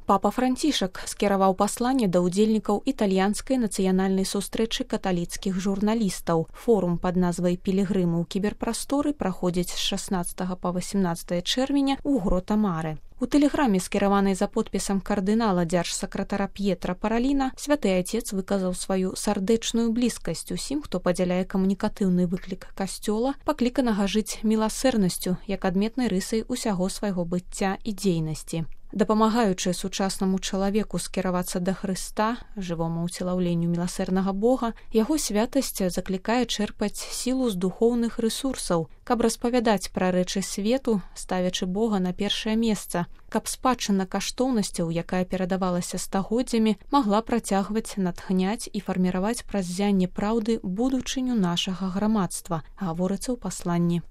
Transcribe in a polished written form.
Папа Францішак скіраваў пасланне да ўдзельнікаў італьянскай нацыянальнай сустрэчы каталіцкіх журналістаў. Форум пад назвай «Пілігрымы ў кіберпрасторы» праходзіць з 16 па 18 чэрвеня ў Грота-Маре. У тэлеграме, скіраванай за подпісам кардынала дзяржсакратара П'етра Параліна, святы айцец выказаў сваю сардэчную блізкасць усім, хто падзяляе камунікатыўны выклік касцёла, пакліканага жыць міласэрнасцю як адметнай рысай усяго свайго быцця і дзейнасці. Дапамагаючы сучаснаму чалавеку скіравацца да Хрыста, жывому ўцелаўленню міласэрнага Бога, яго святасць заклікае чэрпаць сілу з духоўных рэсурсаў, каб распавядаць пра рэчы свету, ставячы Бога на першае месца, каб спадчына каштоўнасцяў, якая перадавалася стагоддзямі, магла працягваць натхняць і фарміраваць праз ззянне праўды будучыню нашага грамадства, гаворыцца ў пасланні.